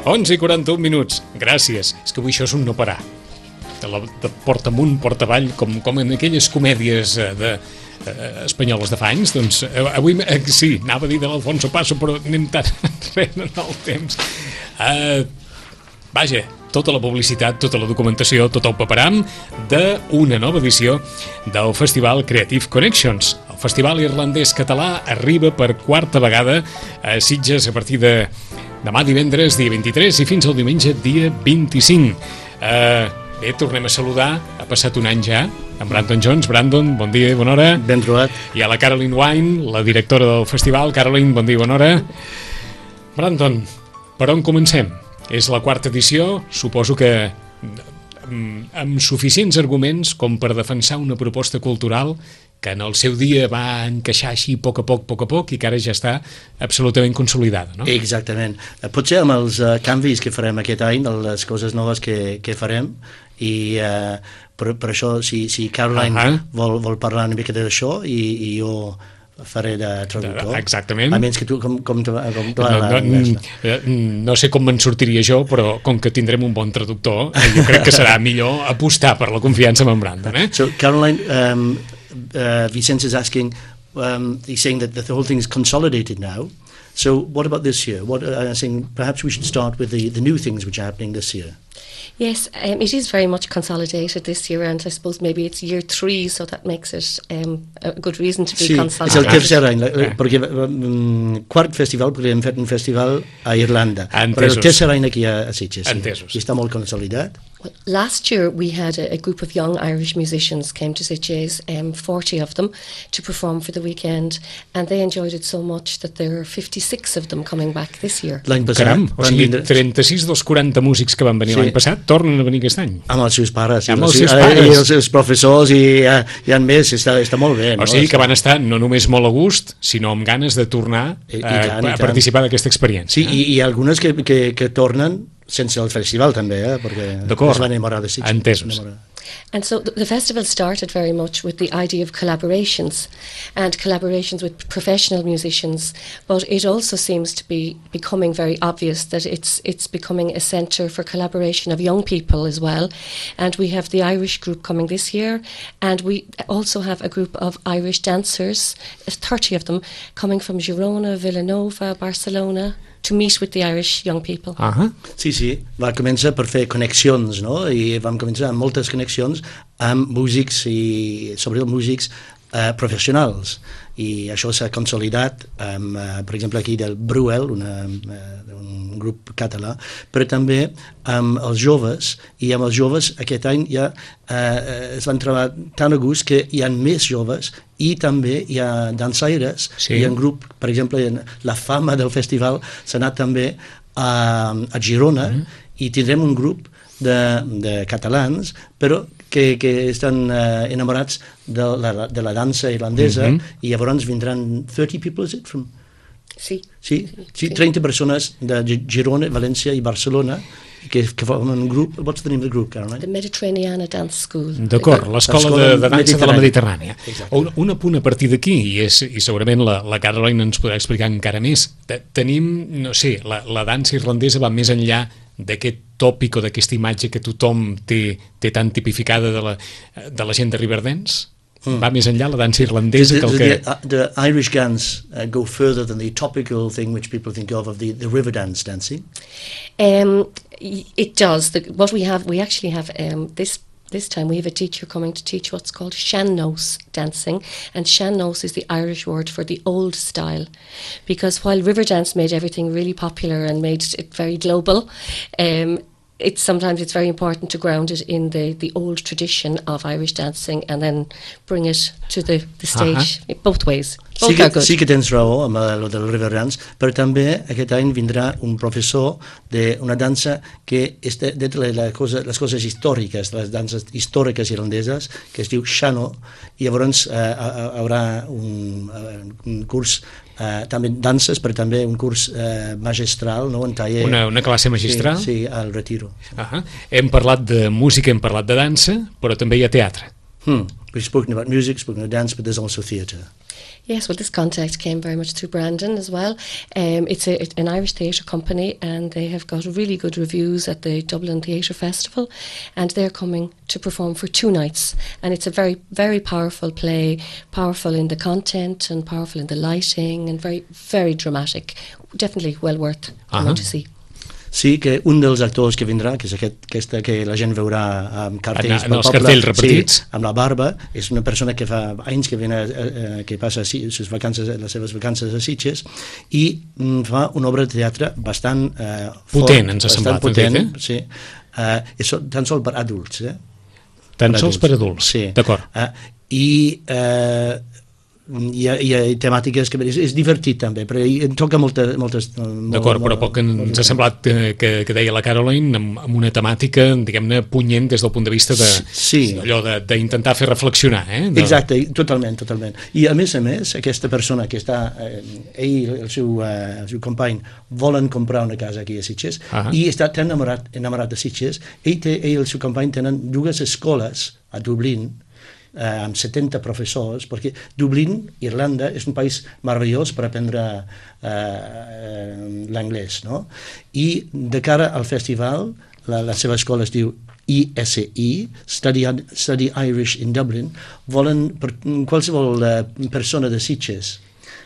11:41. Gràcies. És que avui això és un no parar. De porta amunt, porta avall, com en aquelles comèdies espanyoles de fa anys. Doncs avui, sí, anava a dir de l'Alfonso Paso, però anem tan enrere en el temps. Vaja, tota la publicitat, tota la documentació, tot el paperam d'una nova edició del Festival Creative Connections. El Festival Irlandès Català arriba per quarta vegada a Sitges a partir de demà divendres, dia 23, i fins al diumenge, dia 25. Bé, tornem a saludar. Ha passat un any ja amb Brandon Jones. Brandon, bon dia i bona hora. Ben trobat. I a la Caroline Wine, la directora del festival. Caroline, bon dia i bona hora. Brandon, per on comencem? És la quarta edició, suposo que amb suficients arguments com per defensar una proposta cultural que en el seu dia va encaixar així a poc, i que ara ja està absolutament consolidada, no? Exactament. Potser amb els canvis que farem aquest any, les coses noves que farem, i per això, si Caroline vol parlar una mica d'això, i jo faré de traductor. Exactament. A menys que tu, com no sé com me'n sortiria jo, però com que tindrem un bon traductor, jo crec que serà millor apostar per la confiança en Brandon. So Caroline, Vicente is asking, he's saying that the whole thing is consolidated now. So what about this year? I'm saying perhaps we should start with the new things which are happening this year. Yes, it is very much consolidated this year, and I suppose maybe it's year 3, so that makes it a good reason to be consolidated. Sí, és el tercer any, perquè quart festival, perquè hem fet un festival a Irlanda, però el tercer any aquí a Sitges, i està molt consolidat. Well, last year we had a group of young Irish musicians came to Sitges, 40 of them, to perform for the weekend, and they enjoyed it so much that there are 56 of them coming back this year. L'any passat... Caram, o sigui, 36 dels 40 músics que van venir l'any passat tornen a venir aquest any. Amb els seus pares. Amb els seus pares. I els seus professors, i en més, està molt bé. O sigui que van estar no només molt a gust, sinó amb ganes de tornar a participar d'aquesta experiència. Sí, i algunes que tornen sense el festival també, perquè es van enamorar de Sitges. Entesos. And so the festival started very much with the idea of collaborations with professional musicians, but it also seems to be becoming very obvious that it's becoming a centre for collaboration of young people as well. And we have the Irish group coming this year, and we also have a group of Irish dancers, 30 of them, coming from Girona, Villanova, Barcelona, to meet with the Irish young people. Sí, va començar per fer connexions, no? I vam començar amb moltes connexions amb músics, i sobretot músics professionals, i això s'ha consolidat amb, per exemple, aquí del Bruel, un grup català, però també amb els joves, i amb els joves aquest any ja es van trobar tan a gust que hi ha més joves, i també hi ha dansaires, hi ha un grup, per exemple, la fama del festival s'ha anat també a Girona, i tindrem un grup de catalans, però que estan enamorats de la dansa irlandesa, i llavors vindran 30 people, is it? Sí, 30 persones de Girona, València i Barcelona, que formen un grup. What's the name of the group, Caroline? The Mediterranean Dance School. D'acord, l'escola de dansa de la Mediterrània. Un apunt a partir d'aquí, i segurament la Caroline ens podrà explicar encara més. Tenim, no sé, la dansa irlandesa va més enllà d'aquest tòpic o d'aquesta imatge que tothom té tan tipificada de la gent de Riverdance? Va més enllà la dansa irlandesa que el que... The Irish dance go further than the topical thing which people think of the Riverdance dancing? It does. We actually have this time we have a teacher coming to teach what's called sean-nós dancing, and sean-nós is the Irish word for the old style, because while Riverdance made everything really popular and made it very global, sometimes it's very important to ground it in the old tradition of Irish dancing and then bring it to the stage, both ways. Sí que tens raó amb el del Riverdance, però també aquest any vindrà un professor d'una dansa que és de les coses històriques, les danses històriques irlandeses, que es diu sean-nós, i llavors hi haurà un curs també danses, però també un curs magistral, no? Un taller. Una classe magistral? Sí, al Retiro. Hem parlat de música, hem parlat de dansa, però també hi ha teatre. We've spoken about music, spoken about dance, but there's also theatre. Yes, well, this contact came very much through Brandon as well. It's an Irish theatre company, and they have got really good reviews at the Dublin Theatre Festival, and they're coming to perform for 2 nights. And it's a very, very powerful play, powerful in the content and powerful in the lighting, and very, very dramatic. Definitely well worth coming to see. Sí, que un dels actors que vindrà, que és aquesta que la gent veurà amb cartells en els cartells repartits, amb la barba, és una persona que fa anys que que passa les seves vacances a Sitges i fa una obra de teatre bastant potent, ens ha semblat. Potent, sí. És tan sols per adults. Tan sols per adults, sí. D'acord. I hi ha temàtiques que és divertit també, però toca moltes... D'acord, però poc ens ha semblat que deia la Caroline amb una temàtica, diguem-ne, punyent des del punt de vista allò d'intentar fer reflexionar. Exacte, totalment. I a més, aquesta persona que està, ell i el seu company volen comprar una casa aquí a Sitges i està tan enamorat de Sitges, ell i el seu company tenen 2 escoles a Dublín, amb 70 professors, perquè Dublín, Irlanda, és un país meravellós per aprendre l'anglès, no? I de cara al festival, la seva escola es diu ESE, Study Irish in Dublin, volen qualsevol persona de Sitges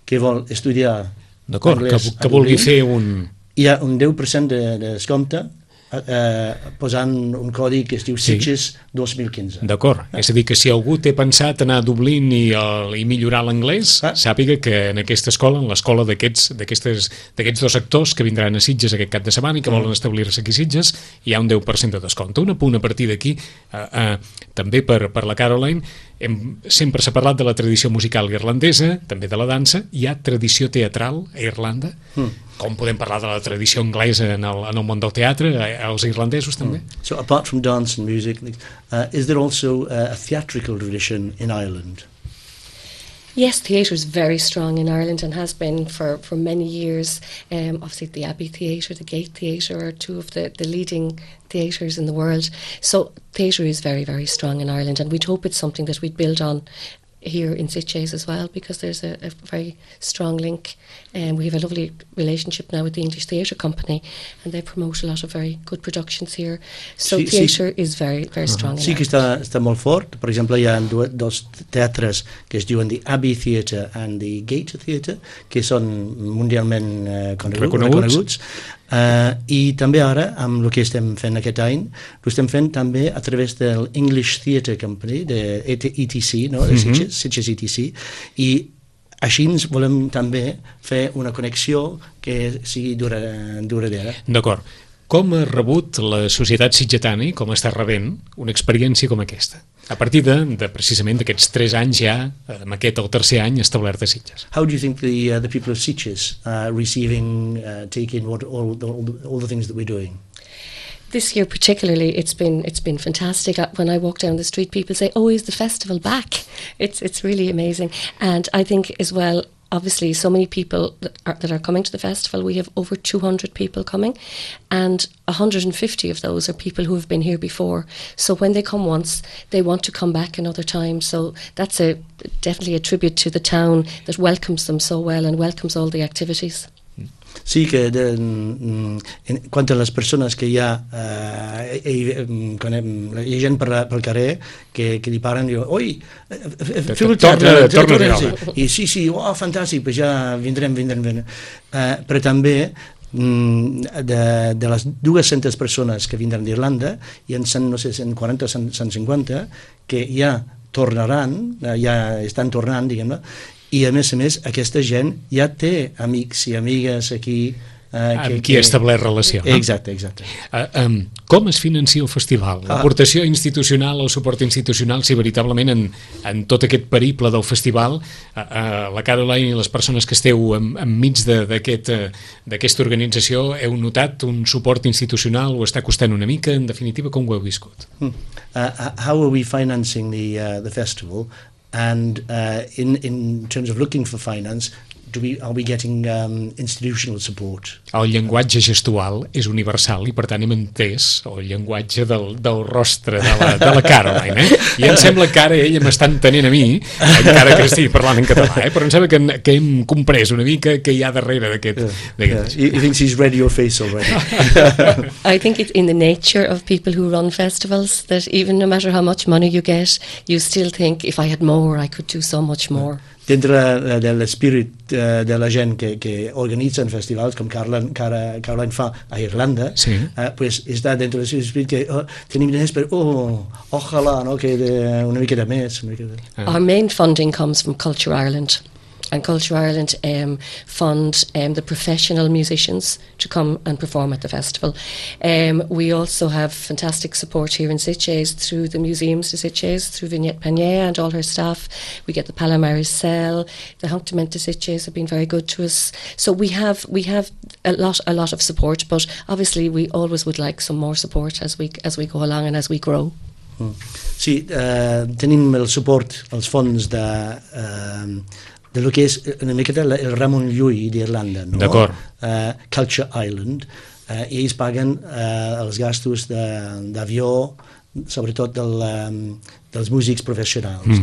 que vol estudiar anglès que vulgui fer un... Hi ha un 10% de descompte posant un codi que es diu Sitges 2015. D'acord, és a dir que si algú té pensat anar a Dublín i millorar l'anglès, sàpiga que en aquesta escola, en l'escola d'aquests 2 actors que vindran a Sitges aquest cap de setmana i que volen establir-se aquí a Sitges, hi ha un 10% de descompte. Un apunt a partir d'aquí, també per la Caroline, sempre s'ha parlat de la tradició musical irlandesa, també de la dansa. Hi ha tradició teatral a Irlanda? Com podem parlar de la tradició anglesa en el món del teatre, els irlandesos també? So apart from dance and music, is there also a theatrical tradition in Ireland? Yes, theatre is very strong in Ireland and has been for many years. Obviously the Abbey Theatre, the Gate Theatre are 2 of the leading theatres in the world. So theatre is very, very strong in Ireland, and we'd hope it's something that we'd build on here in Sitges as well, because there's a very strong link, and we have a lovely relationship now with the English Theatre Company, and they promote a lot of very good productions here. So theatre is very, very strong. Sí que està molt fort. Per exemple, hi ha 2 teatres que es diuen the Abbey Theatre and the Gate Theatre, que són mundialment reconeguts. I també ara, amb el que estem fent aquest any, ho estem fent també a través del English Theatre Company, de ETC, no? De Sitges ETC, i així ens volem també fer una connexió que sigui duradera. D'acord. Com ha rebut la societat sitgetana i com està rebent una experiència com aquesta? A partir de precisament d'aquests 3 anys ja, amb aquest el 3è any establert a Sitges. How do you think the people of Sitges are receiving, taking all the things that we're doing? This year particularly, it's been fantastic. When I walk down the street, people say, "Oh, is the festival back?" It's really amazing, and I think as well, obviously, so many people that are coming to the festival. We have over 200 people coming, and 150 of those are people who have been here before. So when they come once, they want to come back another time. So that's definitely a tribute to the town that welcomes them so well and welcomes all the activities. Sí, que quant a les persones que hi ha gent pel carrer que li paren i diuen, oi, feu el teatre, i sí, fantàstic, pues ja vindrem. Però també de les 200 persones que vindran d'Irlanda, hi ha 140 o 150 que ja tornaran, ja estan tornant, diguem-ne, i a més, aquesta gent ja té amics i amigues aquí amb qui ha establert relació. Exacte. Com es financia el festival? L'aportació institucional, el suport institucional, si veritablement en tot aquest periple del festival, la Caroline i les persones que esteu enmig d'aquesta organització, heu notat un suport institucional, o està costant una mica? En definitiva, com ho heu viscut? How are we financing the festival? And in terms of looking for finance, are we getting institutional support? El llenguatge gestual és universal i per tant hem entès el llenguatge del rostre de la Caroline, i em sembla que ara ella m'està entenent a mi, encara que estigui parlant en català, però em sembla que hem comprès una mica què hi ha darrere d'aquest... He thinks he's read your face already. I think it's in the nature of people who run festivals that even no matter how much money you get, you still think, if I had more, I could do so much more. Dintre de l'espírit de la gent que organitzen festivals, com Caroline fa a Irlanda, sí. Pues està dintre de l'espírit que tenim diners per, ojalà, no, que una mica de més. Our main funding comes from Culture Ireland. And Culture Ireland fund the professional musicians to come and perform at the festival. We also have fantastic support here in Sitges through the museums de Sitges, through Vignette Panier and all her staff. We get the Palomares Cell, the Hunctament de Sitges have been very good to us. So we have a lot of support, but obviously we always would like some more support as we go along and as we grow. Sí, tenim el suport, els fons de lo que és una miqueta el Ramon Llull d'Irlanda, no? D'acord. Culture Island, i ells paguen els gastos d'avió, sobretot dels músics professionals.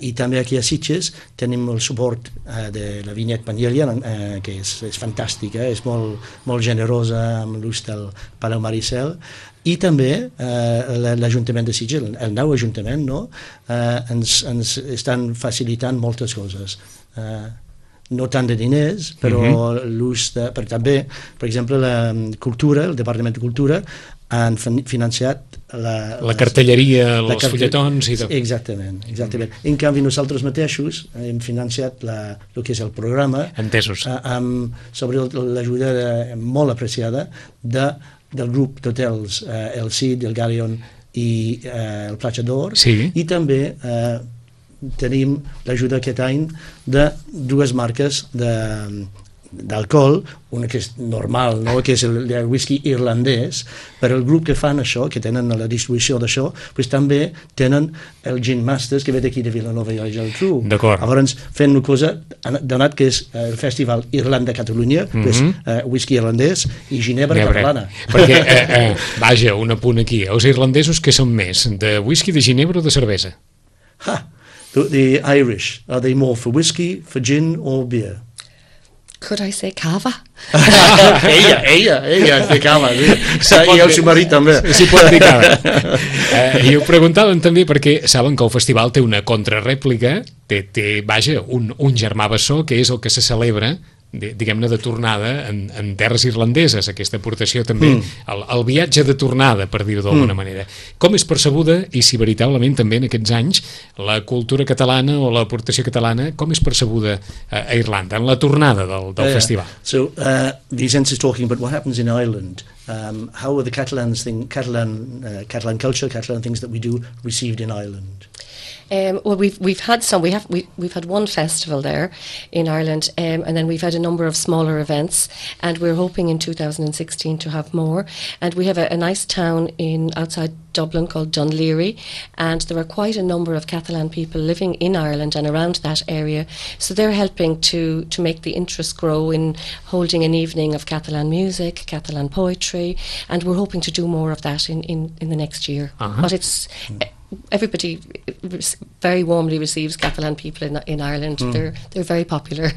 I també aquí a Sitges tenim el suport de la Vinyet Panyella, que és fantàstica, és molt generosa amb l'ús del Palau Maricel, i també l'Ajuntament de Sitges, el nou Ajuntament, no? Ens estan facilitant moltes coses. No tant de diners, però l'ús de... També, per exemple, la cultura, el Departament de Cultura, han financiat la cartelleria, els fulletons... Exactament. En canvi, nosaltres mateixos hem financiat el que és el programa, entesos, sobre l'ajuda molt apreciada del grup d'hotels El Cid, el Galleon i el Platja d'Or, i també tenim l'ajuda aquest any de dues marques d'alcohol, una que és normal, no? Que és el whisky irlandès, però el grup que fan això, que tenen la distribució d'això, pues també tenen el Gin Masters, que ve d'aquí de Vilanova i la Geltrú. Llavors, fent una cosa, donat que és el Festival Irlanda-Catalunya, pues, whisky irlandès i ginebra catalana. Perquè, vaja, un apunt aquí, els irlandesos que són més, de whisky, de ginebra o de cervesa? The Irish, are they more for whisky, for gin or beer? Could I say cava? ella és de cava, i el seu marit també. Sí, pot dir cava. I ho preguntàvem també perquè saben que el festival té una contrarèplica, té vaja, un germà bessó, que és el que se celebra, diguem-ne, de tornada en terres irlandeses, aquesta aportació també, el viatge de tornada, per dir-ho d'alguna manera. Com és percebuda, i si veritablement també en aquests anys, la cultura catalana o l'aportació catalana, com és percebuda a Irlanda, en la tornada del festival? So, Vicente is talking about what happens in Ireland. How are the Catalan culture, Catalan things that we do received in Ireland? Well, we've had some. We've had one festival there in Ireland, and then we've had a number of smaller events, and we're hoping in 2016 to have more. And we have a nice town outside Dublin called Dunleary, and there are quite a number of Catalan people living in Ireland and around that area, so they're helping to make the interest grow in holding an evening of Catalan music, Catalan poetry, and we're hoping to do more of that in the next year. But it's everybody very warmly receives Catalan people in Ireland. They're very popular.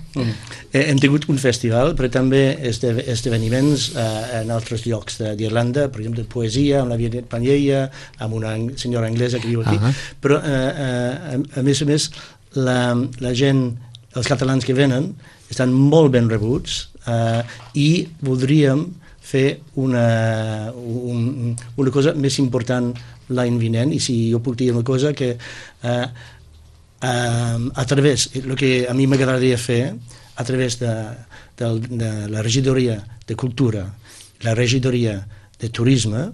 Hem tingut un festival, però també esdeveniments en altres llocs d'Irlanda, per exemple de poesia, amb la Vinyet Panyella, amb una senyora anglesa que viu aquí, però a més la gent, els catalans que venen estan molt ben rebuts, i voldríem fer una cosa més important l'any vinent, i si jo puc dir una cosa, que a través, el que a mi m'agradaria fer, a través de la regidoria de cultura, la regidoria de turisme,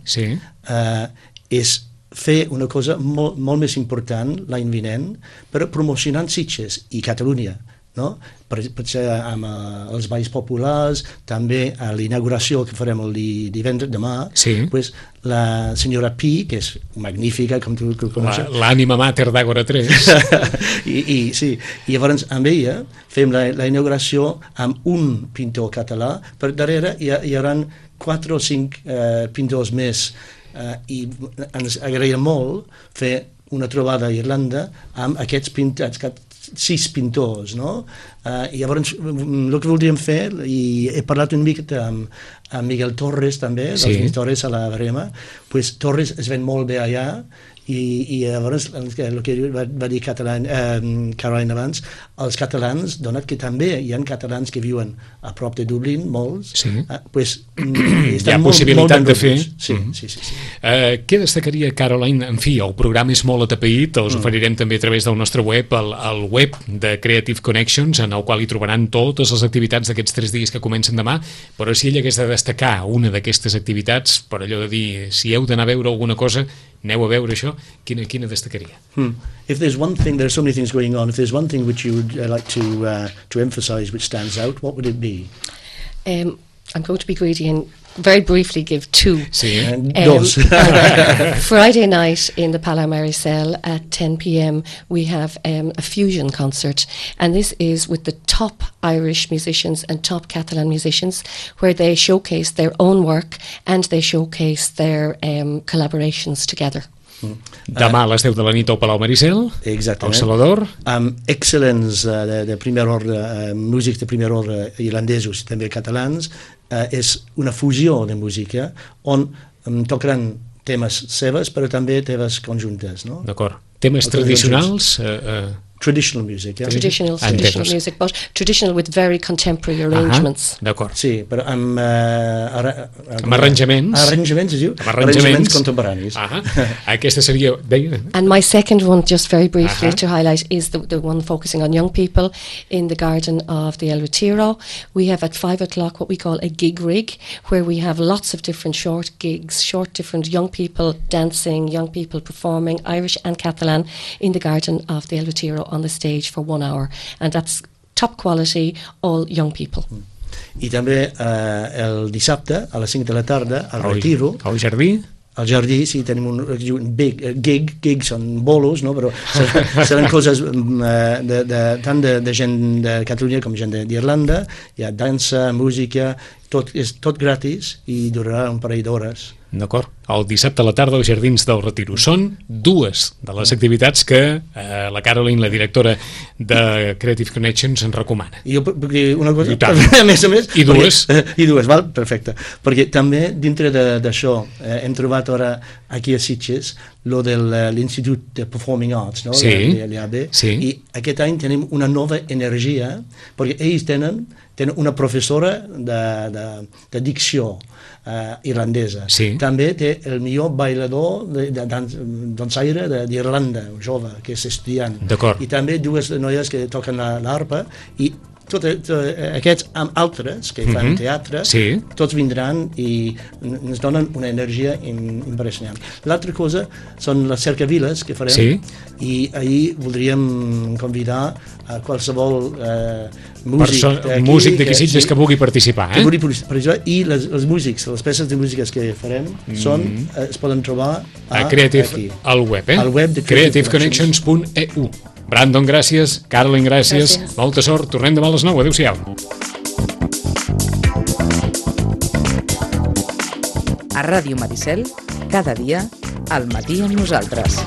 és fer una cosa molt més important l'any vinent, per promocionar Sitges i Catalunya, no? Potser amb els balls populars, també a l'inauguració que farem el divendres demà, pues, la senyora Pi, que és magnífica, com tu coneixes. L'ànima mater d'Àgora 3. Sí, i llavors amb ella fem la inauguració amb un pintor català, per darrere hi haurà 4 o 5 pintors més, i ens agradaria molt fer una trobada a Irlanda amb aquests pintats, 6 pintors, no? I llavors el que voldríem fer, i he parlat una miqueta amb Miguel Torres també, dels Torres a la Verema, pues Torres es ven molt bé allà, i llavors el que va dir Caroline abans, els catalans, donat que també hi ha catalans que viuen a prop de Dublín, molts, pues, hi ha possibilitat de fer. Sí. Què destacaria, Caroline? En fi, el programa és molt atapeït, els oferirem també a través del nostre web, el web de Creative Connections, en el qual hi trobaran totes les activitats d'aquests 3 dies que comencen demà, però si ell hagués de destacar una d'aquestes activitats, per allò de dir, si heu d'anar a veure alguna cosa, aneu a veure això, quina destacaria? If there's one thing, there are so many things going on, if there's one thing which you would like to emphasize which stands out, what would it be? I'm going to be greedy and very briefly give 2. Friday night in the Palomarisel at 10 p.m. we have a fusion concert, and this is with the top Irish musicians and top Catalan musicians, where they showcase their own work and they showcase their collaborations together. Demà a les 10 de la nit al Palau Maricel, exactament, al Salador. Excel·lents de primer ordre, músics de primer ordre irlandesos i també catalans. És una fusió de música on tocaran temes seves, però també temes conjuntes, no? D'acord. Temes tradicionals? Traditional music, yeah. Traditional music, but traditional with very contemporary arrangements. D'acord. Sí, però amb arranjaments. Arranjaments, es diu? Arranjaments contemporanis. Aquesta seria... And my second one, just very briefly to highlight, is the one focusing on young people in the garden of the El Retiro. We have at 5 o'clock what we call a gig rig, where we have lots of different short gigs, different young people dancing, young people performing, Irish and Catalan, in the garden of the El Retiro on the stage for 1 hour, and that's top quality, all young people. I també el dissabte a les 5 de la tarda al Retiro, al Jardí. Al Jardí, sí, tenim un gig són bolos, no? Però seran coses tant de gent de Catalunya com gent d'Irlanda. Hi ha dansa, música, és tot gratis i durarà un parell d'hores. D'acord. El dissabte a la tarda als Jardins del Retiro. Són 2 de les activitats que la Caroline, la directora de Creative Connections, ens recomana. I jo puc dir una cosa? A més a més. I 2? I 2, val? Perfecte. Perquè també dintre d'això hem trobat ara aquí a Sitges lo de l'Institut de Performing Arts, no? L'IAB. I aquest any tenim una nova energia, perquè ells tenen una professora de dicció irlandesa. També té el millor bailador de dansaire d'Irlanda, jove, que és estudiant. I també 2 noies que toquen l'arpa, i aquests amb altres que fan teatre, tots vindran i ens donen una energia impressionant. L'altra cosa són les cercaviles que farem, i ahir voldríem convidar a qualsevol músic d'aquí Sitges que vulgui participar. I els músics, les peces de músiques que farem es poden trobar al web de creativeconnections.eu. Brandon, gràcies. Caroline, gràcies. Molta sort. Tornem demà a les 9. Adéu-siau. A Ràdio Maricel, cada dia, al matí amb nosaltres.